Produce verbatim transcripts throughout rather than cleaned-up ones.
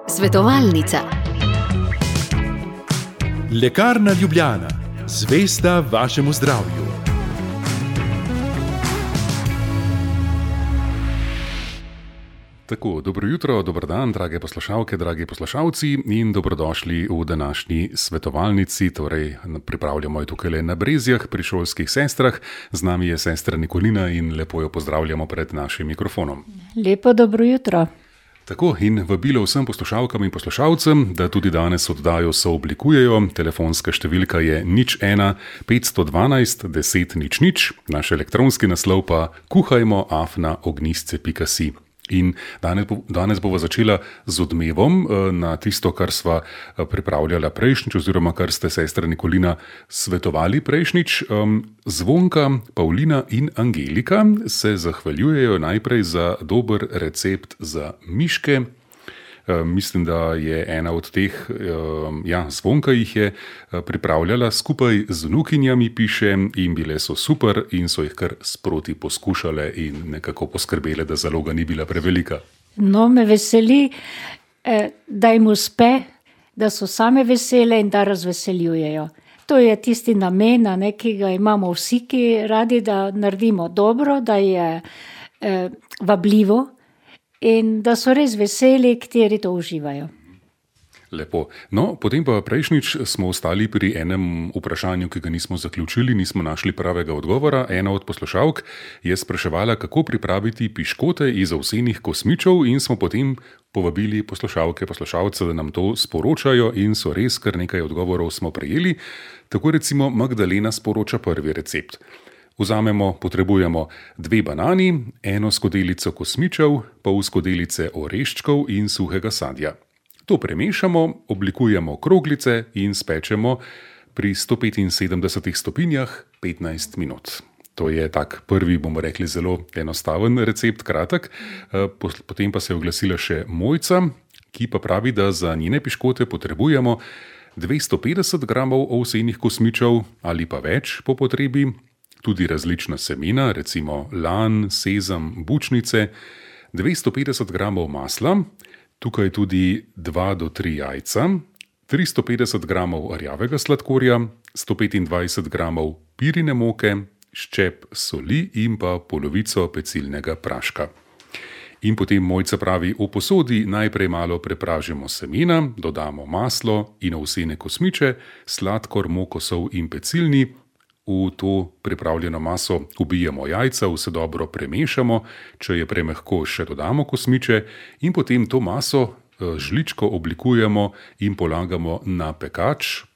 Svetovalnica. Lekarna Ljubljana, zvesta vašemu zdravju. Tako, dobro jutro, dober dan, drage poslušalke, dragi poslušalci in dobrodošli v današnji svetovalnici. Torej, pripravljamo jo tukaj le na Brezjah pri šolskih sestrah. Z nami je sestra Nikolina in lepo jo pozdravljamo pred našim mikrofonom. Lepo dobro jutro. Tako, in vabilo vsem poslušalkam in poslušalcem, da tudi danes oddajo sooblikujejo. Telefonska številka je nič ena petsto dvanajst deset nič nič, naš elektronski naslov pa kuhajmo afna ognjisce pika si. In danes, danes bova začela z odmevom na tisto, kar sva pripravljala prejšnjič, oziroma kar ste sestra Nikolina svetovali prejšnjič. Zvonka, Pavlina in Angelika se zahvaljujejo najprej za dober recept za miške. Mislim, da je ena od teh, ja, Zvonka jih je pripravljala skupaj z vnukinjami, piše, in bile so super in so jih kar sproti poskušale in nekako poskrbele, da zaloga ni bila prevelika. No, me veseli, da jim uspe, da so same vesele in da razveseljujejo. To je tisti namen, ne, ki ga imamo vsi, ki radi, da naredimo dobro, da je eh, vabljivo, in da so res veseli, kateri to uživajo. Lepo. No, potem pa prejšnjič smo ostali pri enem vprašanju, ki ga nismo zaključili, nismo našli pravega odgovora. Ena od poslušalk je spraševala, kako pripraviti piškote iz ovsenih kosmičev, in smo potem povabili poslušalke, poslušalce, da nam to sporočajo, in so res kar nekaj odgovorov smo prejeli. Tako recimo Magdalena sporoča prvi recept. Vzamemo, potrebujemo dve banani, eno skodelico kosmičev, pol skodelice oreščkov in suhega sadja. To premešamo, oblikujemo kroglice in spečemo pri sto petinsedemdesetih stopinjah petnajst minut. To je tak prvi, bomo rekli, zelo enostaven recept, kratek. Potem pa se je oglasila še Mojca, ki pa pravi, da za njene piškote potrebujemo dvesto petdeset gramov ovsenih kosmičev ali pa več po potrebi, tudi različna semena, recimo lan, sezam, bučnice, dvesto petdeset gramov masla, tukaj tudi dva do tri jajca, tristo petdeset gramov rjavega sladkorja, sto petindvajset gramov pirine moke, ščep soli in pa polovico pecilnega praška. In potem Mojca pravi, v posodi najprej malo prepražimo semena, dodamo maslo in ovsene kosmiče, sladkor, moko, sol in pecilni. V to pripravljeno maso ubijemo jajca, vse dobro premešamo, če je premehko, še dodamo kosmiče in potem to maso žličko oblikujemo in polagamo na pekač,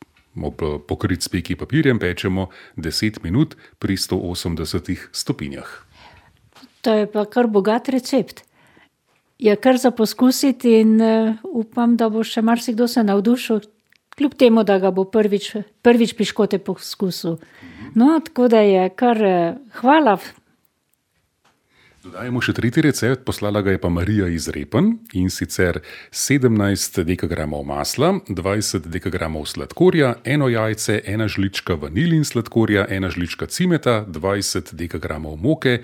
pokrit s peki papirjem, pečemo deset minut pri sto osemdesetih stopinjah. To je pa kar bogat recept. Je kar za poskusiti in uh, upam, da bo še marsikdo se navdušil, kljub temu, da ga bo prvič, prvič piškote poskusil. No, tako da je kar hvala. Dodajemo še tretji recept, poslala ga je pa Marija iz Repen, in sicer sedemnajst dekagramov masla, dvajset dekagramov sladkorja, eno jajce, ena žlička vanilin sladkorja, ena žlička cimeta, dvajset dekagramov moke,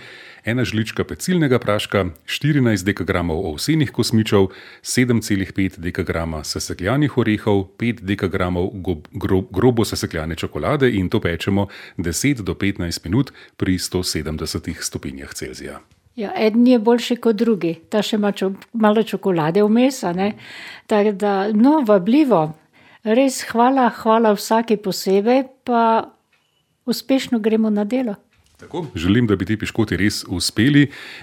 ena žlička pecilnega praška, štirinajst dekagramov ovsenih kosmičev, sedem celih pet dekagrama sesekljanih orehov, pet dekagramov gro, grobo sesekljane čokolade, in to pečemo deset do petnajst minut pri sto sedemdesetih stopinjah Celzija. Ja, eden je boljši kot drugi. Ta še ima čo, malo čokolade vmes, ne? Tako da, no, vabljivo. Res hvala, hvala vsaki posebej, pa uspešno gremo na delo. Tako, želim, da bi ti piškoti res uspeli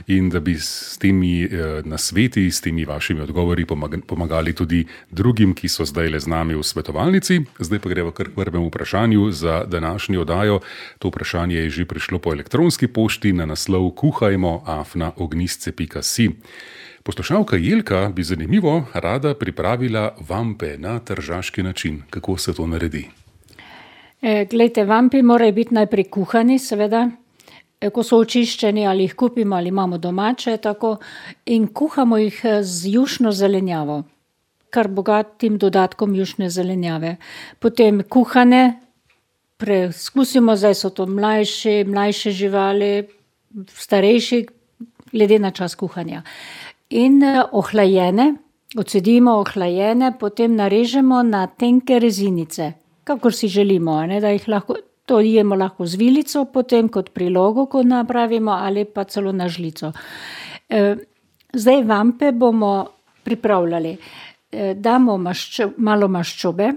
in da bi s temi eh, nasveti, s temi vašimi odgovori pomagali tudi drugim, ki so zdaj le z nami v svetovalnici. Zdaj pa greva kar k prvemu vprašanju za današnjo oddajo. To vprašanje je že prišlo po elektronski pošti na naslov kuhajmo afna ognjisce pika si. Poslušalka Jelka bi zanimivo rada pripravila vampe na tržaški način. Kako se to naredi? E, glejte, vampi morajo biti najprej kuhani, seveda. Ko so očiščeni, ali jih kupimo ali imamo domače, tako, in kuhamo jih z jušno zelenjavo, kar bogatim dodatkom jušne zelenjave. Potem kuhane, preizkusimo, zdaj so to mlajši, mlajše živali, starejši, glede na čas kuhanja. in ohlajene, odcedimo ohlajene, potem narežemo na tenke rezinice, kakor si želimo, ne, da jih lahko, to jemo lahko z vilico, potem kot prilogo, ko napravimo, ali pa celo na žlico. Zdaj vampe bomo pripravljali. Damo maščo, malo maščobe,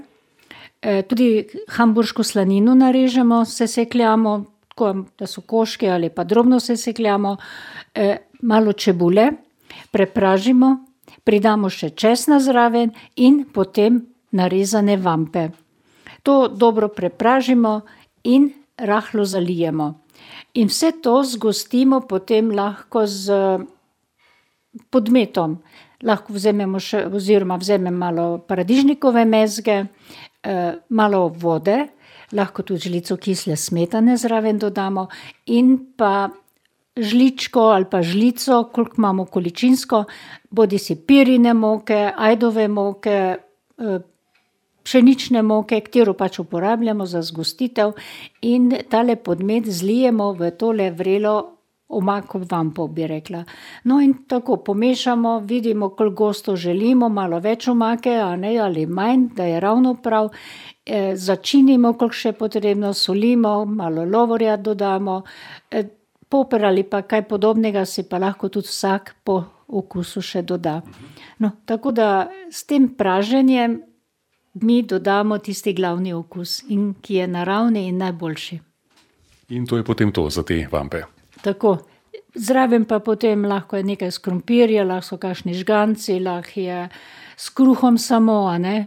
tudi hamburško slanino narežemo, sesekljamo, tako da so koške ali pa drobno sesekljamo, malo čebule, prepražimo, pridamo še česna zraven in potem narezane vampe. To dobro prepražimo in rahlo zalijemo. In vse to zgostimo potem lahko z podmetom. Lahko vzamemo še, oziroma vzamem malo paradižnikove mezge, malo vode, lahko tudi žlico kisle smetane zraven dodamo in pa žličko ali pa žlico, koliko imamo količinsko, bodisi pirine moke, ajdove moke, pšenične moke, katero pač uporabljamo za zgostitev in tale podmet zlijemo v tole vrelo omako vampo, bi rekla. No in tako pomešamo, vidimo, koliko gosto želimo, malo več omake, a ne, ali manj, da je ravno prav. E, začinimo, koliko še potrebno, solimo, malo lovorja dodamo, e, poper ali pa kaj podobnega si pa lahko tudi vsak po okusu še doda. No, tako da s tem praženjem mi dodamo tisti glavni okus, in ki je naravni in najboljši. In to je potem to za te vampe. Tako. Zraven pa potem lahko je nekaj s krompirja, lahko so kakšni žganci, lahko je s kruhom samo, a ne.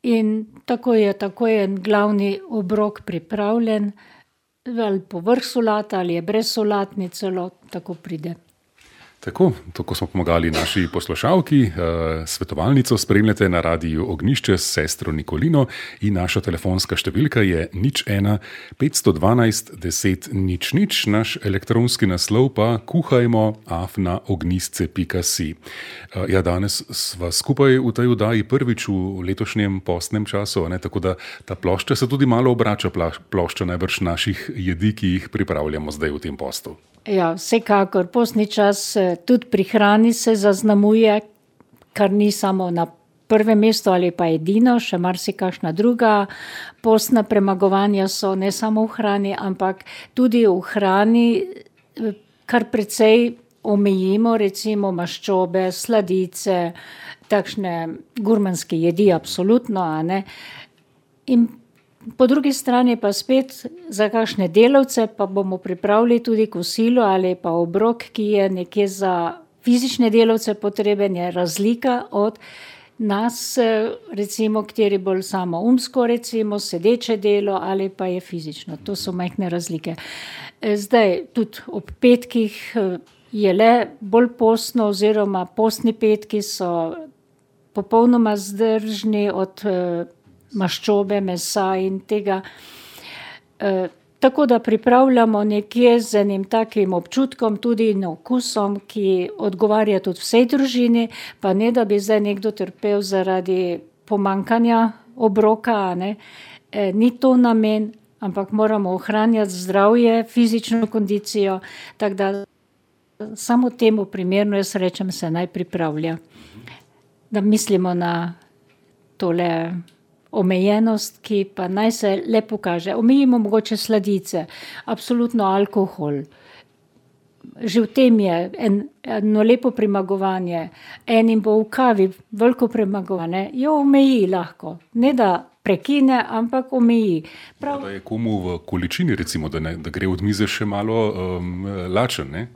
In tako je, tako je glavni obrok pripravljen, ali povrh solata, ali je brez solatni celo, tako pride. Tako, tako smo pomagali naši poslušalki. Svetovalnico spremljate na Radiu Ognjišče s sestro Nikolino in naša telefonska številka je nič ena petsto dvanajst deset nič nič, naš elektronski naslov pa kuhajmo afna ognjisce pika si. Ja, danes sva skupaj v tej oddaji prvič v letošnjem postnem času, ne, tako da ta plošča se tudi malo obrača, plošča najbrž naših jedi, ki jih pripravljamo zdaj v tem postu. Ja, vsekakor, postni čas tudi pri hrani se zaznamuje, kar ni samo na prvem mestu ali pa edino, še marsikakšna druga postna premagovanja so, ne samo v hrani, ampak tudi v hrani kar precej omejimo, recimo maščobe, sladice, takšne gurmanske jedi, absolutno, a ne. In po drugi strani pa spet za kakšne delavce pa bomo pripravili tudi kosilo ali pa obrok, ki je nekje za fizične delavce potreben, je razlika od nas, recimo, kateri bolj samo umsko, recimo, sedeče delo ali pa je fizično. To so majhne razlike. Zdaj, tudi ob petkih je le bolj postno oziroma postni petki so popolnoma zdržni od maščobe, mesa in tega. E, tako da pripravljamo nekje z enim takim občutkom, tudi in okusom, ki odgovarja tudi vsej družini, pa ne, da bi zdaj nekdo trpel zaradi pomankanja obroka, ne. E, ni to namen, ampak moramo ohranjati zdravje, fizično kondicijo, tako da samo temu primerno, jaz rečem, se naj pripravlja. Da mislimo na tole omejenost, ki pa naj se le pokaže. Omejimo mogoče sladice, absolutno alkohol. Že v tem je en, eno lepo premagovanje. Enim bo v kavi veliko premagovanje, jo omeji lahko. Ne da prekine, ampak omeji. Prav... Da je komu v količini, recimo, da, ne, da gre od mize še malo um, lačen, ne?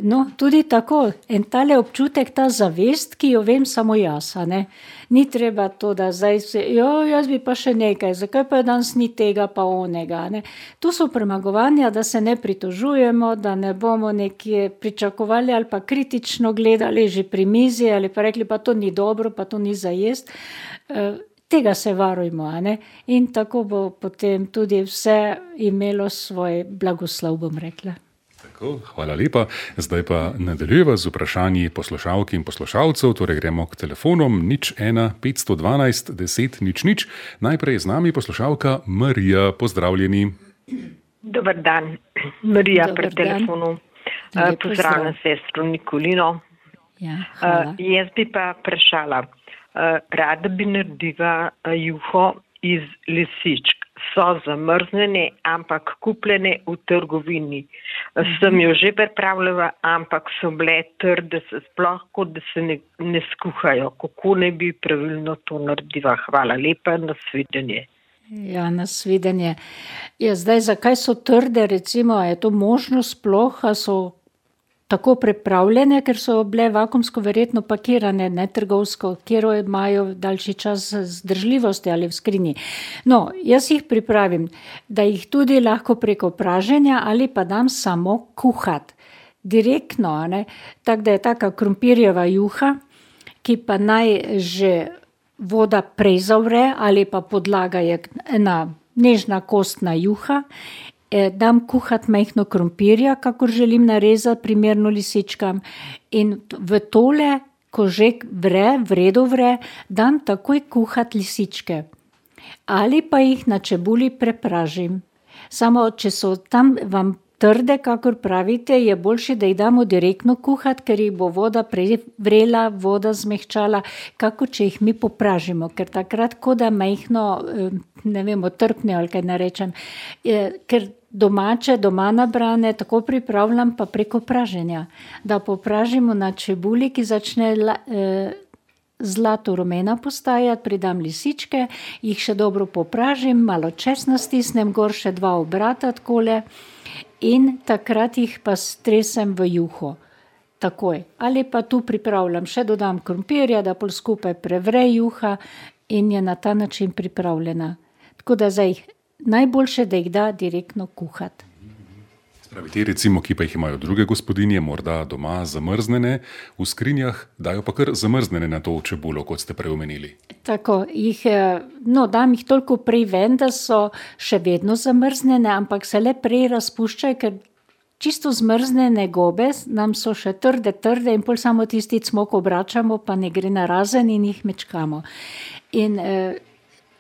No, tudi tako. En tale občutek, ta zavest, ki jo vem samo jaz, a ne. Ni treba to, da zdaj se, jo, jaz bi pa še nekaj, zakaj pa danes ni tega pa onega, ne. Tu so premagovanja, da se ne pritožujemo, da ne bomo nekje pričakovali ali pa kritično gledali že pri mizi ali pa rekli, pa to ni dobro, pa to ni za jest. E, tega se varujmo, a ne. In tako bo potem tudi vse imelo svoj blagoslov, bom rekla. Hvala lepa. Zdaj pa nadaljujeva z vprašanji poslušalk in poslušalcev, torej gremo k telefonom nič ena petsto dvanajst deset nič nič. Najprej z nami poslušalka Marija, pozdravljeni. Dobar dan, Marija pri telefonu. Pozdravljam sestro Nikolino. Ja, hvala. Uh, jaz bi pa vprašala, uh, rada bi naredila uh, juho iz lisičk. So zamrznjene, ampak kupljene v trgovini. Uh, sem jo že pripravljala, ampak so bile trde, sploh kot da se ne, ne skuhajo. Kako ne bi pravilno to naredila? Hvala lepa, nasvidenje. Ja, nasvidenje. Ja, zdaj, zakaj so trde, recimo, je to možno sploh, a so tako pripravljene, ker so bile vakuumsko verjetno pakirane, ne trgovsko, kjer imajo daljši čas zdržljivosti ali v skrinji. No, jaz jih pripravim, da jih tudi lahko preko praženja ali pa dam samo kuhat. Direktno, ne, tako da je taka krompirjeva juha, ki pa naj že voda prej zavre ali pa podlaga je ena nežna kostna juha. Dam kuhat majhno krompirja, kakor želim narezati, primerno lisičkam. In v tole, ko že vre, vredo vre, dam takoj kuhat lisičke. Ali pa jih na čebuli prepražim. Samo, če so tam vam trde, kakor pravite, je boljše, da jih damo direktno kuhat, ker jih bo voda prej vrela, voda zmehčala, kako če jih mi popražimo, ker takrat, ko da majhno, ne vem, otrpne ali kaj narečem, ker domače, doma nabrane, tako pripravljam pa preko praženja, da popražimo na čebuli, ki začne eh, zlato rumena postajati, pridam lisičke, jih še dobro popražim, malo česna stisnem, gor še dva obrata takole in takrat jih pa stresem v juho. Takoj. Ali pa tu pripravljam, še dodam krompirja, da pol skupaj prevre juha in je na ta način pripravljena. Tako da zdaj najboljše, da jih da direktno kuhat. Spravi, te recimo, ki pa jih imajo druge gospodinje, morda doma zamrznene v skrinjah, dajo pa kar zamrznene na to čebulo, kot ste prej omenili. Tako, jih, no, dam jih toliko prej ven, da so še vedno zamrznene, ampak se le prej razpuščajo, ker čisto zmrznene gobe nam so še trde, trde in pol samo tisti cmok obračamo, pa ne gre na razen in jih mečkamo. In eh,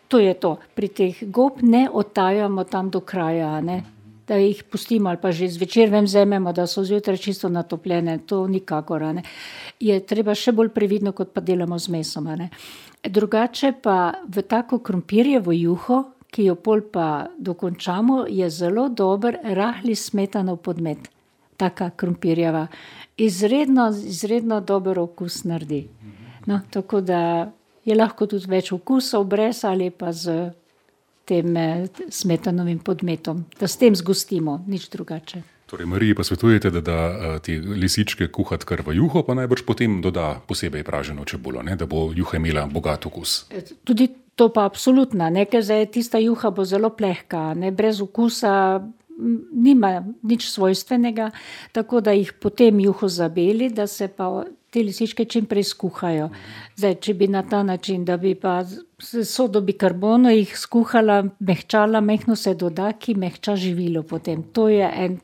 to je to. Pri teh gob ne odtajamo tam do kraja, ne? Da jih pustimo ali pa že zvečer ven vzamemo, da so zjutraj čisto natopljene. To nikakor. Ne? Je treba še bolj previdno, kot pa delamo z mesom. Ne? Drugače pa v tako krompirjevo juho, ki jo pol pa dokončamo, je zelo dober rahli smetanov podmet. Taka krompirjeva. Izredno, izredno dober okus naredi. No, tako da je lahko tudi več okusov brez ali pa z tem smetanovim podmetom. Da s tem zgostimo, nič drugače. Torej, Mariji pa svetujete, da da te lisičke kuhat kar v juho, pa najbrž potem doda posebej praženo čebulo, ne? Da bo juha imela bogat okus. Tudi to pa absolutno, ne? Ker zdaj tista juha bo zelo plehka, ne? Brez okusa nima nič svojstvenega, tako da jih potem juho zabeli, da se pa te lisičke čim prej skuhajo. Zdaj, če bi na ta način, da bi pa sodo bikarbono jih skuhala, mehčala, mehno se doda, ki mehča živilo potem. To je en,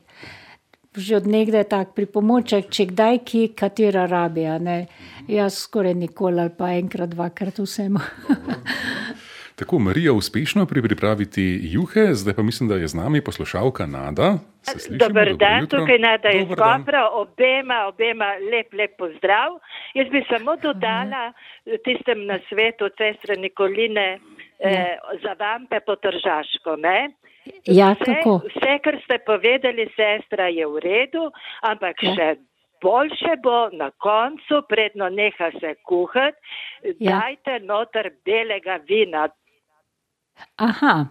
že od nekdaj tak pripomoček, če kdaj ki katera rabija, ne. Jaz skoraj nikoli ali pa enkrat, dvakrat vsem. Tako, Marija uspešno pri pripraviti juhe, zdaj pa mislim, da je z nami poslušalka Nada. Se slišimo? Dobar dan, jutro. Tukaj Nada iz Dobar dan. Kopra, obema, obema lep, lep pozdrav. Jaz bi samo dodala tistem na svetu sestre Nikoline eh, za vampe po tržaško, ne? Ja, Vse, kako? vse, kar ste povedali, sestra, je v redu, ampak Ja. še boljše bo na koncu, predno neha se kuhati, Ja. dajte noter belega vina. Aha,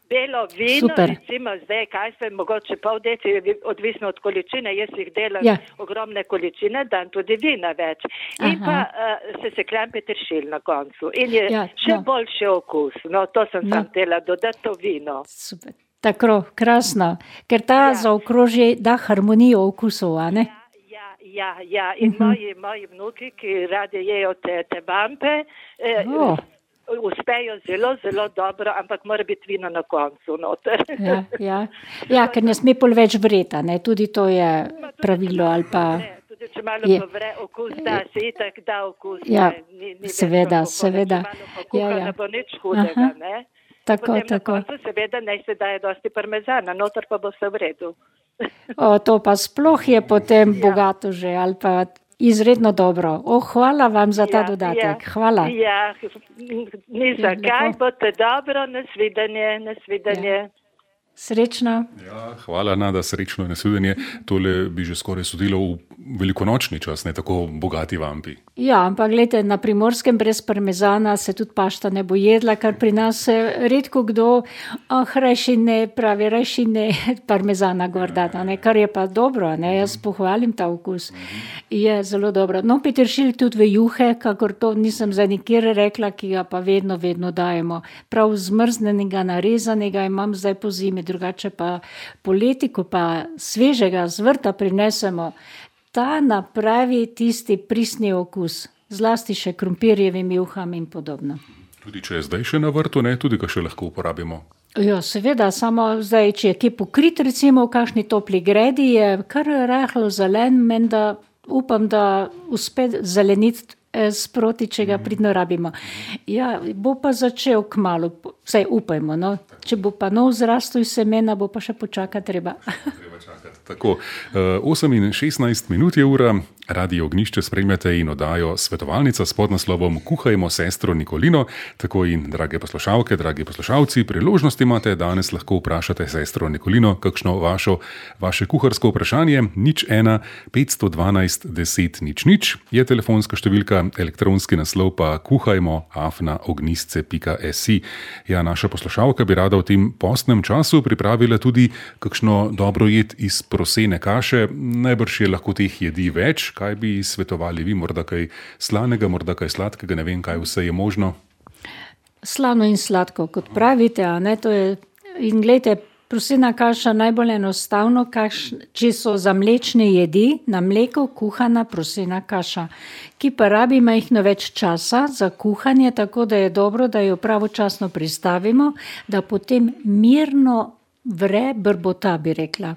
Belo vino, Super. recimo zdaj, kaj se, mogoče pol deci, odvisno od količine, jaz jih delam Ja. ogromne količine, dam tudi vina več. In Aha. pa uh, se sekljam peteršilj na koncu. In je Ja, še no. boljši okus. No, to sem No. sam tela dodati to vino. super. Tako, krasno. Ker ta Ja. zaokroži da harmonijo okusov, a ne? Ja, ja, ja. In Mhm. moji, moji vnuki, ki radi jejo te, te vampe, eh, O. uspejo zelo, zelo dobro, ampak mora biti vino na koncu noter. Ja, ja. Ja, ker ne sme pol več vreta, ne? Tudi to je pravilo ali pa... Ne, tudi če malo je- povre okus, da se itak da okus. Ja, ne, ni, ni seveda, več alkohola. seveda. Če malo pokuha, Ja, ja. ne bo nič hudega, Aha. ne. Tako, Potem tako. na koncu seveda naj se daje dosti parmezana, noter pa bo vse v redu. O, to pa sploh je potem bogato že, ali pa izredno dobro. O, hvala vam za ta ja, dodatek. Ja, hvala. Ja, ni za kaj, bote dobro, nasvidenje, nasvidenje. Ja. Srečno. Ja, hvala, Nada, srečno in nasvidenje. Tole bi že skoraj sodilo v velikonočni čas, ne tako bogati vampi. Ja, ampak gledajte, na Primorskem brez parmezana se tudi pašta ne bo jedla, kar pri nas redko kdo, oh, rajši ne, pravi, rajši ne parmezana gor dati, ne, kar je pa dobro, ne, jaz pohvalim ta okus. Je zelo dobro. No, peteršilj tudi v juhe, kakor to nisem za nikjer rekla, ki ga pa vedno, vedno dajemo. Prav zmrznenega, narezanega imam zdaj po zimi, drugače pa poleti, ko pa svežega z vrta prinesemo, ta napravi tisti pristni okus, zlasti še krompirjevim juham in podobno. Tudi če je zdaj še na vrtu, ne, tudi ga še lahko uporabimo. Ja, seveda, samo zdaj, če je kje pokrit, recimo v kakšni topli gredi, je kar rahlo zelen, menda upam, da uspe zeleniti sproti, če ga pridno rabimo. Ja, bo pa začel kmalu, vsaj upajmo, no. Če bo pa nov zrastel iz semena, bo pa še počakati treba. Treba čakati. Tako, osem in šestnajst minut je ura, Radio Ognjišče spremljate in oddajo Svetovalnica s podnaslovom Kuhajmo sestro Nikolino. Tako in, drage poslušalke, dragi poslušalci, priložnost imate, danes lahko vprašate sestro Nikolino kakšno vašo, vaše kuharsko vprašanje. Nič ena, petsto dvanajst, deset, nič, nič je telefonska številka, elektronski naslov pa kuhajmo afna ognjisce pika si. Ja, naša poslušalka bi rada v tem postnem času pripravila tudi kakšno dobro jed iz prosene kaše. Najbrž je lahko teh jedi več. Kaj bi svetovali vi? Morda kaj slanega, morda kaj sladkega, ne vem, kaj vse je možno. Slano in sladko, kot pravite, a ne, to je, in gledajte, prosena kaša najbolj enostavno, kaš, če so za mlečne jedi, na mleko kuhana prosena kaša, ki pa rabi majhno več časa za kuhanje, tako da je dobro, da jo pravočasno pristavimo, da potem mirno vre brbota, bi rekla.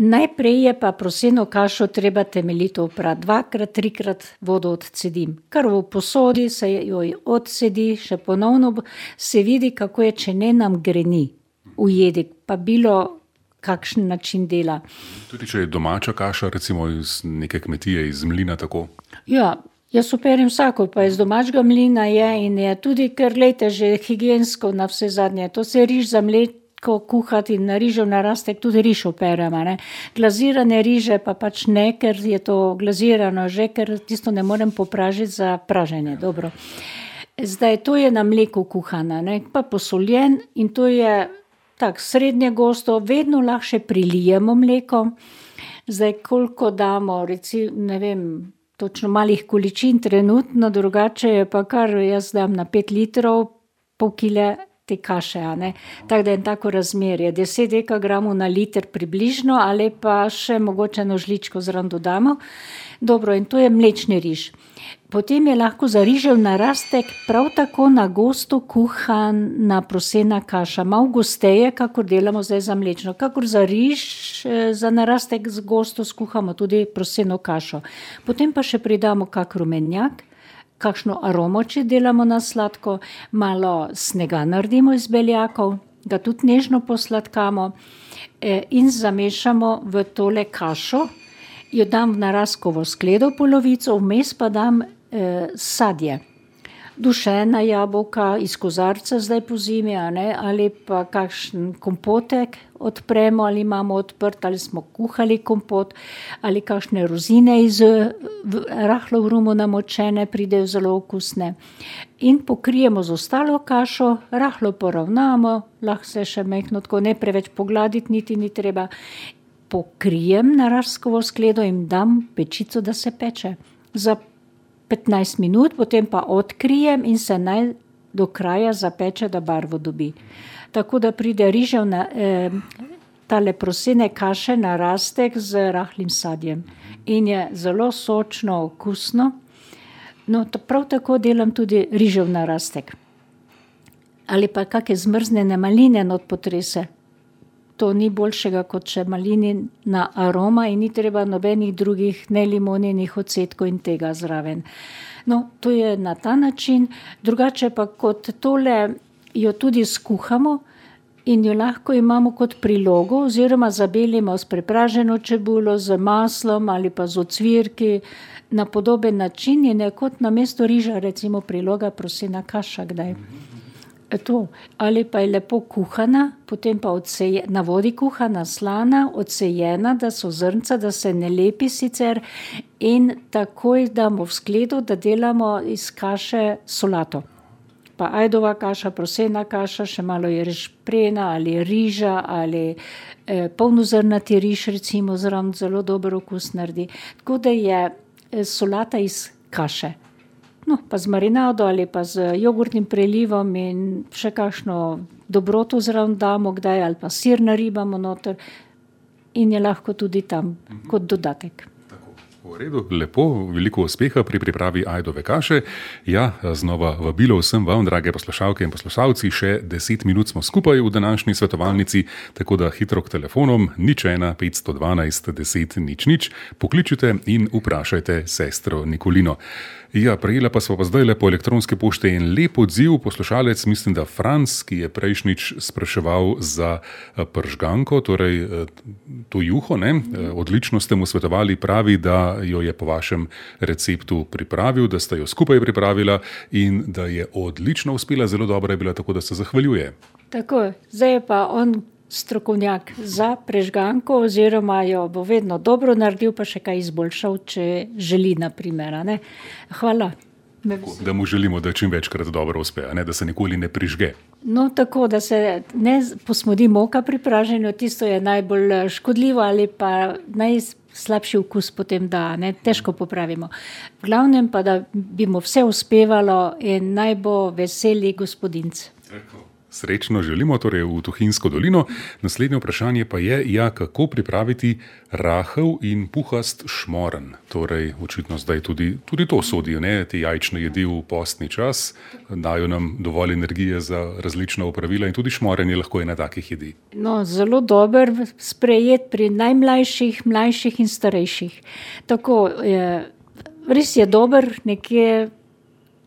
Najprej je pa proseno kašo treba temeljito oprati, dvakrat, trikrat vodo odcedim. Kar v posodi se jo odcedi, še ponovno se vidi, kako je, če ne nam greni v jedi, pa bilo kakšen način dela. Tudi če je domača kaša, recimo iz neke kmetije, iz mlina tako? Ja, jaz operim vsako, pa iz domačega mlina je in je tudi, ker glejte, že higiensko na vse zadnje, to se riž za mleko kuhati in na rižev narastek tudi riž operema, ne. Glazirane riže pa pač ne, ker je to glazirano že, ker tisto ne morem popražiti za praženje, dobro. Zdaj, to je na mleku kuhana, ne, pa posoljen in to je tak srednje gosto, vedno lahko še prilijemo mleko. Zdaj, koliko damo, reci, ne vem, točno malih količin trenutno, drugače je pa kar, jaz dam na pet litrov, pol kile te kaše, a ne. Tako da je tako razmerje, deset dekagramov na liter približno, ali pa še mogoče eno žličko zraven dodamo. Dobro, in to je mlečni riž. Potem je lahko za rižev narastek prav tako na gosto kuhana prosena kaša. Malo gosteje, kakor delamo zdaj za mlečno. Kakor za riž, za narastek z gosto skuhamo tudi proseno kašo. Potem pa še pridamo kak rumenjak, kakšno aromo, če delamo na sladko, malo snega naredimo iz beljakov, ga tudi nežno posladkamo in zamešamo v tole kašo, jo dam v naraskovo skledo polovico, vmes pa dam eh, sadje. Dušena jabolka iz kozarca zdaj po zimi, a ne, ali pa kakšen kompotek odpremo, ali imamo odprt, ali smo kuhali kompot, ali kakšne rozine iz rahlo v rumu namočene, pridejo zelo okusne. In pokrijemo z ostalo kašo, rahlo poravnamo, lahko se še majhno tako ne preveč pogladiti, niti ni treba. Pokrijem naraskovo skledo in dam pečico, da se peče. Za petnajst minut, potem pa odkrijem in se naj do kraja zapeče, da barvo dobi. Tako da pride rižev na eh, tale prosene kaše narastek z rahlim sadjem. In je zelo sočno, okusno. No, prav tako delam tudi rižev narastek. Ali pa kakšne zmrznjene maline not potrese. To ni boljšega, kot če malinina aroma in ni treba nobenih drugih, ne limoninih odsetkov in tega zraven. No, to je na ta način. Drugače pa kot tole jo tudi skuhamo, in jo lahko imamo kot prilogo oziroma zabelimo s prepraženo čebulo, z maslom ali pa z ocvirki na podoben način in je kot namesto riža recimo priloga prosena kaša kdaj. To. Ali pa je lepo kuhana, potem pa odseje, na vodi kuhana, slana, odsejena, da so zrnca, da se ne lepi sicer in takoj damo v skledo, da delamo iz kaše solato. Pa ajdova kaša, prosena kaša, še malo je rešprena ali riža ali eh, polnozrnati riž recimo zraven zelo dober okus naredi. Tako da je eh, solata iz kaše. No, pa z marinado ali pa z jogurtnim prelivom in še kakšno dobroto zraven damo kdaj ali pa sir naribamo noter in je lahko tudi tam kot dodatek. V redu, lepo, veliko uspeha pri pripravi ajdove kaše. Ja, znova vabilo vsem vam, drage poslušalke in poslušalci, še deset minut smo skupaj v današnji svetovalnici, tako da hitro k telefonom nič ena petsto dvanajst deset nič nič pokličite in vprašajte sestro Nikolino. Ja, prejela pa smo pa zdaj le po elektronske pošte in lep odziv poslušalec, mislim, da Franc, ki je prejšnjič spraševal za pržganko, torej to juho, ne? Odlično ste mu svetovali, pravi, da jo je po vašem receptu pripravil, da ste jo skupaj pripravila in da je odlično uspela, zelo dobra je bila, tako da se zahvaljuje. Tako, zdaj je pa on strokovnjak za prežganko oziroma jo bo vedno dobro naredil, pa še kaj izboljšal, če želi, na primer. Ne? Hvala. Da mu želimo, da čim večkrat dobro uspe, ne? Da se nikoli ne prižge. No, tako, da se ne posmodi moka pri praženju, tisto je najbolj škodljivo ali pa najslabši okus potem da, ne? Težko popravimo. V glavnem pa, da bi mu vse uspevalo in naj bo veseli gospodinc. Tako. Srečno želimo torej v Tuhinjsko dolino. Naslednje vprašanje pa je, ja, kako pripraviti rahel in puhast šmoren. Torej, očitno zdaj tudi, tudi to sodijo, ne? Te jajčne jedi v postni čas, dajo nam dovolj energije za različna opravila in tudi šmoren je lahko ena takih jedi. No, zelo dober sprejet pri najmlajših, mlajših in starejših. Tako, je, res je dober, nekje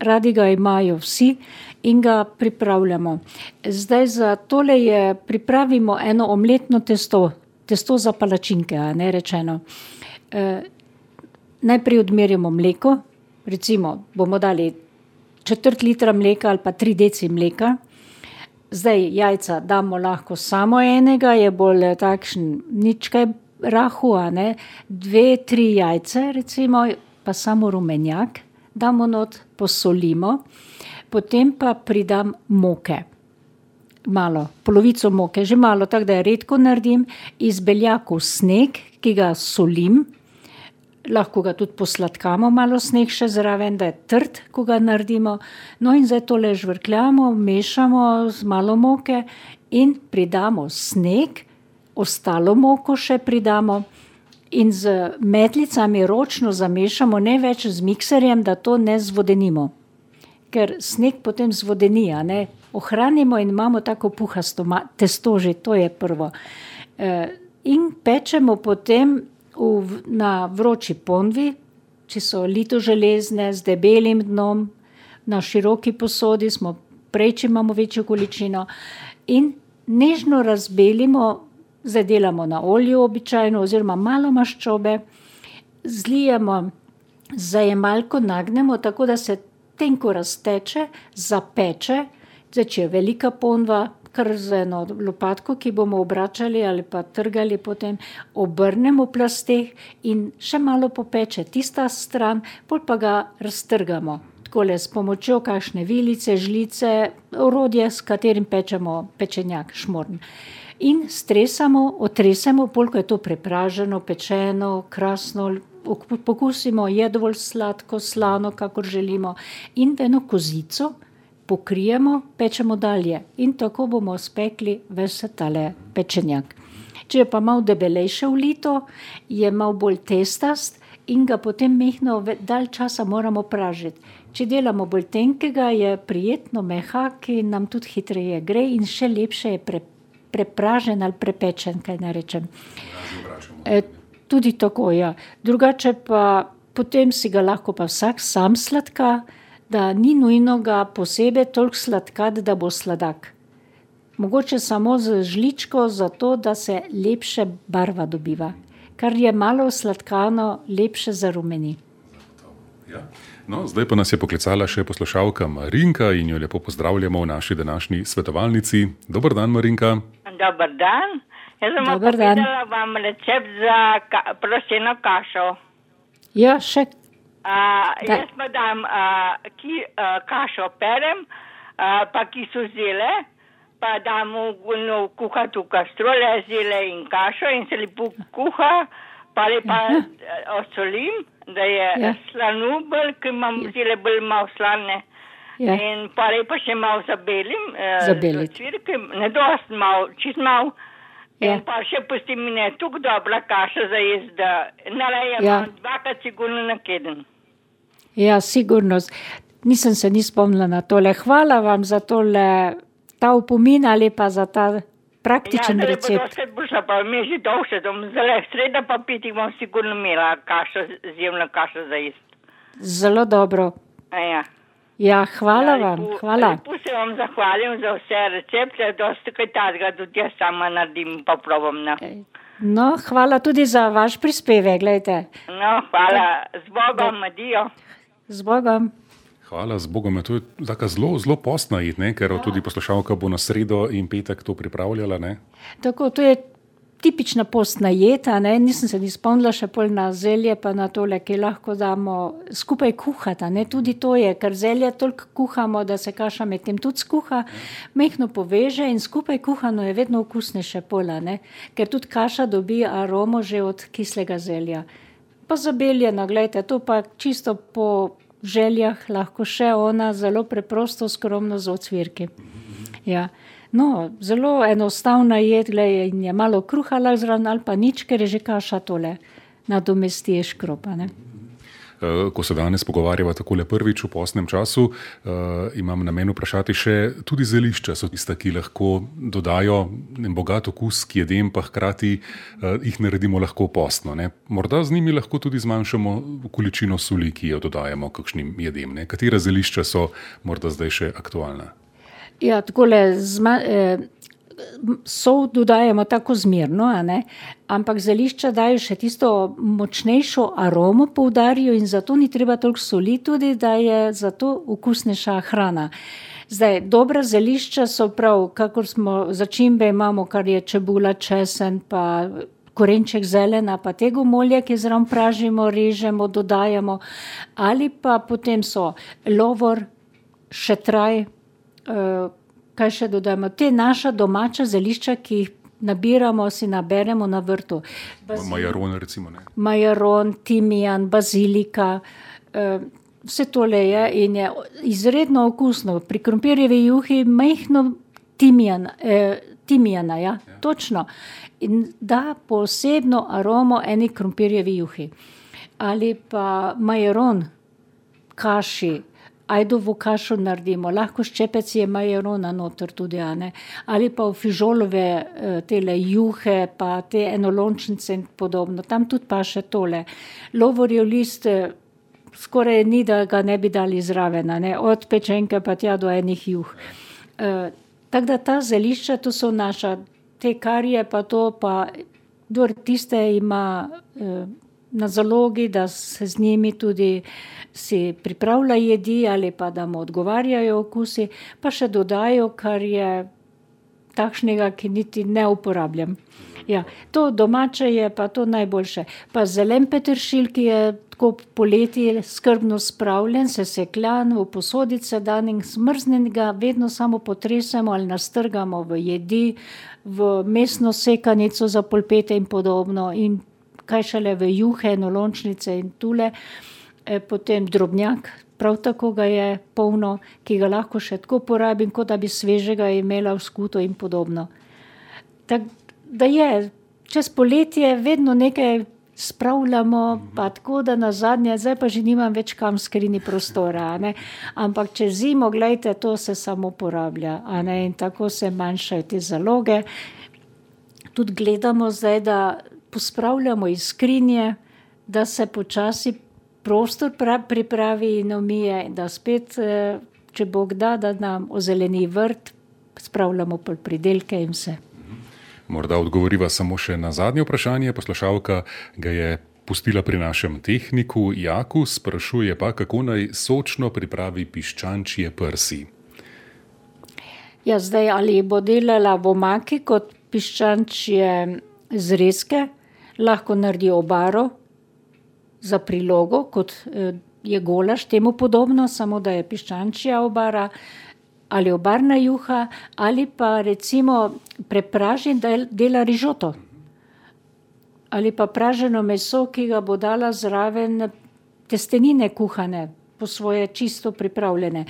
radi ga imajo vsi in ga pripravljamo. Zdaj za tole je, pripravimo eno omletno testo, testo za palačinke, a ne rečeno. E, najprej odmerimo mleko, recimo bomo dali četrt litra mleka ali pa tri deci mleka. Zdaj jajca damo lahko samo enega, je bolj takšen nič kaj rahu, a ne. Dve, tri jajce recimo, pa samo rumenjak damo not, posolimo. Potem pa pridam moke, malo, polovico moke, že malo, tako da je redko naredim, iz beljakov sneg, ki ga solim, lahko ga tudi posladkamo, malo sneg še zraven, da je trd, ko ga naredimo. No in zdaj tole žvrkljamo, mešamo z malo moke in pridamo sneg, ostalo moko še pridamo in z metlicami ročno zamešamo, ne več z mikserjem, da to ne zvodenimo. Ker sneg potem zvodeni, a ne, ohranimo in imamo tako puhasto testo, že to je prvo. E, in pečemo potem v, na vroči ponvi, če so litoželezne z debelim dnom, na široki posodi smo, prej, če imamo večjo količino, in nežno razbelimo, zdaj delamo na olju običajno, oziroma malo maščobe, zlijemo, zajemalko nagnemo, tako da se tenko razteče, zapeče, zdaj, če je velika ponva, kar z eno lopatko, ki bomo obračali ali pa trgali potem, obrnemo v plasteh in še malo popeče tista stran, pol pa ga raztrgamo. Takole s pomočjo kakšne vilice, žlice, orodje, s katerim pečemo pečenjak, šmorn. In stresamo, otresemo, pol, ko je to prepraženo, pečeno, krasno, pokusimo, je dovolj sladko, slano, kakor želimo, in v eno kozico pokrijemo, pečemo dalje. In tako bomo spekli ves tale pečenjak. Če je pa malo debelejše ulito, je malo bolj testast in ga potem mehno dalj časa moramo pražiti. Če delamo bolj tenkega, je prijetno mehak in nam tudi hitreje gre in še lepše je pre, prepražen ali prepečen, kaj ne rečem. E, Tudi tako, ja. Drugače pa potem si ga lahko pa vsak sam sladka, da ni nujno ga posebej toliko sladkati, da bo sladak. mogoče samo z žličko, zato da se lepše barva dobiva. Kar je malo sladkano, lepše zarumeni. Ja. No, zdaj pa nas je poklicala še poslušalka Marinka in jo lepo pozdravljamo v naši današnji svetovalnici. Dober dan, Marinka. Dober dan. Jaz sem povedala vam recept za ka proseno kašo. Ja, še. Uh, jaz pa dam uh, ki, uh, kašo perem, uh, pa kisu zile, pa dam v, no, kuhati v kastrole zile in kašo in se lepo kuha, pa lepa uh, osolim, da je ja. slanu bolj, ki imam zile bolj malo slane. Ja. In pa lepa še malo zabelim, uh, z cvirke, ne dost malo, čist malo. Ja. In pa še pustim mine tuk dobra kaša za jesti, da narajem ja. dvakrat sigurno na keden. Ja, sigurno. Nisem se ni spomnila na tole. Hvala vam za tole, ta opomin ali pa za ta praktičen ja, recept. Ja, zdaj bo dosti, pa mi že dolše, zdaj sreda pa piti bom sigurno imela kašo, zjemno kašo za jesti. Zelo dobro. A ja. Ja, hvala ja, vam, lepo, hvala. Lepo se vam zahvalim za vse recepte, dosti kaj tazga, tudi jaz sama naredim, pa probam. No. no, hvala tudi za vaš prispevek, gledajte. No, hvala, z Bogom, adijo. Z Bogom. Hvala, z Bogom. To je taka zelo, zelo postna jed, ne? Ker ja. tudi poslušalka bo na sredo in petek to pripravljala, ne? Tako, to je tipična postna jed, ne? Nisem se ni spomnila še pol na zelje, pa na tole, ki lahko damo skupaj kuhati, ne? Tudi to je, ker zelje toliko kuhamo, da se kaša med tem tudi skuha, mehno poveže in skupaj kuhano je vedno okusnejše pola, ne? Ker tudi kaša dobi aromo že od kislega zelja. Pa zabeljeno, gledajte, to pa čisto po željah lahko še ona zelo preprosto, skromno z ocvirki. Ja. No, zelo enostavna jed, gledaj, in je malo kruha zraven ali pa nič, ker je že kaša tole nadomesti škropa, ne. Ko se danes pogovarjava takole prvič v postnem času, uh, imam namen vprašati še, tudi zelišča so tista, ki lahko dodajo bogat okus k jedem, pa hkrati uh, jih naredimo lahko postno, ne. Morda z njimi lahko tudi zmanjšamo količino soli, ki jo dodajamo kakšnim jedem, ne. Katera zelišča so morda zdaj še aktualna? Ja, takole zma, eh, sol dodajamo tako zmerno, a ne? Ampak zelišča dajo še tisto močnejšo aromo poudarijo in zato ni treba toliko soli tudi, da je zato okusnejša hrana. Zdaj, dobra zelišča so prav, kakor smo začimbe imamo, kar je čebula, česen, pa korenček zelena, pa tega molja, ki zraven pražimo, režemo, dodajamo, ali pa potem so lovor, šetraj, Uh, kaj še dodajamo? Te naša domača zelišča, ki jih nabiramo, si naberemo na vrtu. Bazil... Majaron, recimo, ne? Majaron, timijan, bazilika, uh, vse tole je in je izredno okusno. Pri krompirjevi juhi majhno timijan, eh, timijana, ja? Ja. Točno. In da posebno aromo eni krompirjevi juhi. Ali pa majaron, kaši, ajdovo kašo naredimo, lahko ščepec je majarona noter tudi, a ne? Ali pa v fižolove tele juhe, pa te enolončnice in podobno. Tam tudi pa še tole. Lovorjev list skoraj ni, da ga ne bi dali zraven, a ne? Od pečenke pa tja do enih juh. E, tako da ta zelišča, to so naša, te karije pa to, pa dor tiste ima e, na zalogi, da se z njimi tudi si pripravlja jedi ali pa da mu odgovarjajo okusi, pa še dodajo, kar je takšnega, ki niti ne uporabljam. Ja, to domače je pa to najboljše. Pa zelen peteršilj, ki je tako poleti skrbno spravljen, sesekljan, v posodice dan in zmrznjen ga vedno samo potresemo ali nastrgamo v jedi, v mesno sekanico za polpete in podobno in kaj šele v juhe, enolončnice in tule. E, potem drobnjak, prav tako ga je polno, ki ga lahko še tako porabim, kot da bi svežega imela v skuto in podobno. Tak, da je, čez poletje vedno nekaj spravljamo, pa tako da na zadnje, zdaj pa že nimam več kam skrini prostora, a ne? Ampak čez zimo, gledajte, to se samo porablja, a ne? In tako se manjšajo te zaloge. Tudi gledamo zdaj, da pospravljamo iz skrinje, da se počasi prostor pripravi in omije, da spet, če Bog da, da nam ozeleni vrt, spravljamo pridelke in vse. Morda odgovoriva samo še na zadnje vprašanje. Poslušalka ga je pustila pri našem tehniku Jaku, sprašuje pa, kako naj sočno pripravi piščančje prsi. Ja, zdaj ali bo delala v omaki kot piščančje zrezke, lahko naredi obaro za prilogo, kot je golaž, temu podobno, samo da je piščančja obara, ali obarna juha, ali pa recimo prepraži in dela rižoto. Ali pa praženo meso, ki ga bo dala zraven testenine kuhane, po svoje čisto pripravljene.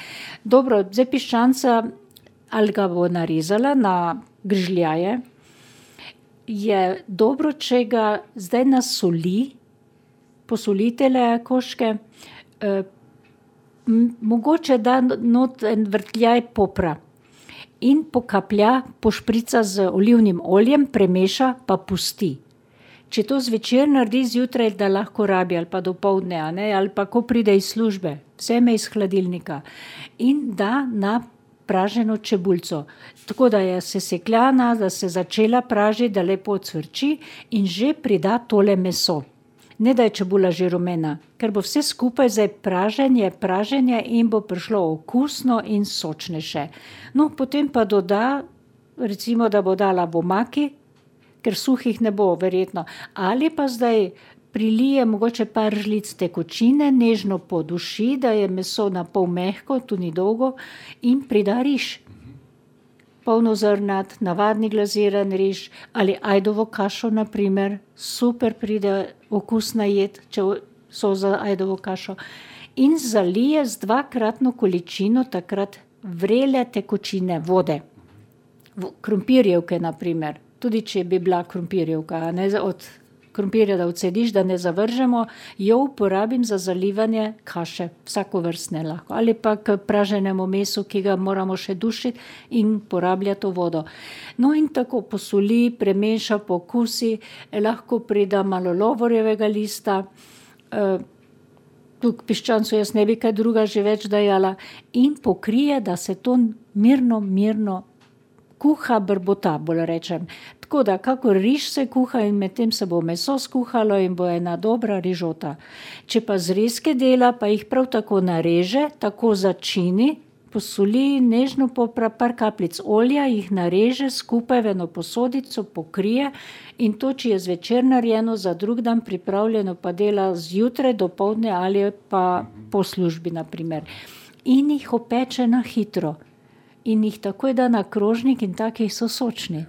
Dobro, zdaj piščanca, ali ga bo narezala na grižljaje, je dobro, če ga zdaj nasoli, posolitele koške, eh, mogoče da not en vrtljaj popra in pokaplja, pošprica z olivnim oljem, premeša, pa pusti. Če to zvečer naredi zjutraj, da lahko rabi, ali pa dopoldne, a ne, ali pa ko pride iz službe, vzame iz hladilnika in da na praženo čebulco. Tako da je sesekljana, da se začela pražiti, da lepo cvrči in že prida tole meso. Ne da je čebula že rumena, ker bo vse skupaj zdaj praženje, praženje in bo prišlo okusno in sočnejše. No, potem pa doda, recimo, da bo dala v omaki, ker suhih ne bo verjetno, ali pa zdaj prilije mogoče par žlic tekočine, nežno poduši, da je meso na pol mehko, tu ni dolgo, in prida riž. Polnozrnat, navadni glaziran riž ali ajdovo kašo, na primer, super pride okusna jed, če so za ajdovo kašo. In zalije z dvakratno količino takrat vrele tekočine vode. Krompirjevke, na primer, tudi če bi bila krompirjevka, ne, od krompirja, da odsediš, da ne zavržemo, jo uporabim za zalivanje kaše, vsakovrstne lahko. Ali pa k praženemu mesu, ki ga moramo še dušiti in porablja to vodo. No in tako posoli, premeša, pokusi, lahko prida malo lovorjevega lista, e, tu k piščancu jaz ne bi kaj druga že več dajala, in pokrije, da se to mirno, mirno kuha, brbota, bolj rečem. Tako da, kakor riž se kuha in medtem se bo meso skuhalo in bo ena dobra rižota. Če pa zrezke dela, pa jih prav tako nareže, tako začini, posoli, nežno popra, par kapljic olja, jih nareže skupaj v eno posodico, pokrije in to, če je zvečer narejeno, za drug dan pripravljeno, pa dela zjutraj, dopoldne ali pa po službi, na primer. In jih opeče na hitro. In jih takoj da na krožnik in takih so sočni.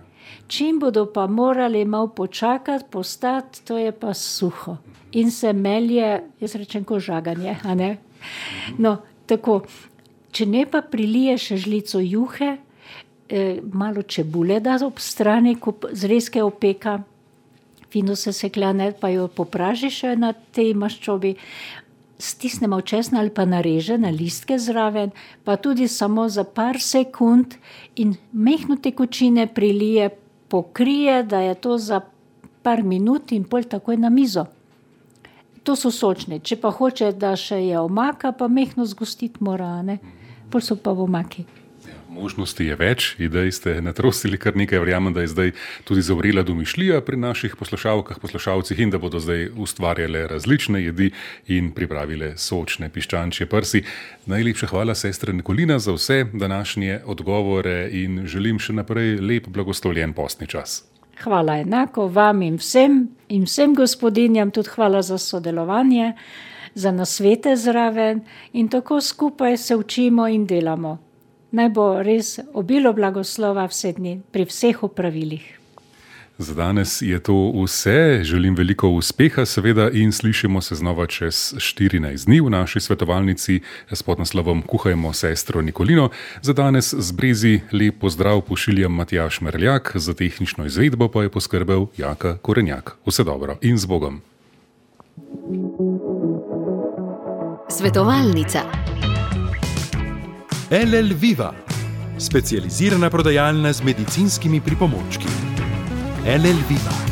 Čim bodo pa morali malo počakati, postati, to je pa suho. In se melje, jaz rečem, ko žaganje, a ne? No, tako, če ne pa prilije še žlico juhe, eh, malo čebule da ob strani, ko zrezke opeka, fino se sekljane, pa jo popraži še na tej maščobi, stisnemo česna ali pa nareže na listke zraven, pa tudi samo za par sekund in mehno tekočine prilije, pokrije, da je to za par minut in pol takoj na mizo. To so sočne. Če pa hoče, da še je omaka, pa mehno zgostiti mora, ne? Pol so pa v omaki. Možnosti je več, idej ste natrosili kar nekaj, verjamem, da je zdaj tudi zavrela domišljija pri naših poslušalkah, poslušalcih in da bodo zdaj ustvarjale različne jedi in pripravile sočne piščančje prsi. Najlepša hvala, sestra Nikolina, za vse današnje odgovore in želim še naprej lep blagoslovljen postni čas. Hvala enako vam in vsem, in vsem gospodinjam, tudi hvala za sodelovanje, za nasvete zraven in tako skupaj se učimo in delamo. Naj bo res obilo blagoslova vse dni pri vseh opravilih. Za danes je to vse. Želim veliko uspeha seveda in slišimo se znova čez štirinajst dni v naši svetovalnici s podnaslovom Kuhajmo sestro Nikolino. Za danes z Brezi lep pozdrav pošiljam Matjaž Merljak, za tehnično izvedbo pa je poskrbel Jaka Korenjak. Vse dobro in z Bogom. Svetovalnica. L L Viva, specializirana prodajalna z medicinskimi pripomočki. L L Viva.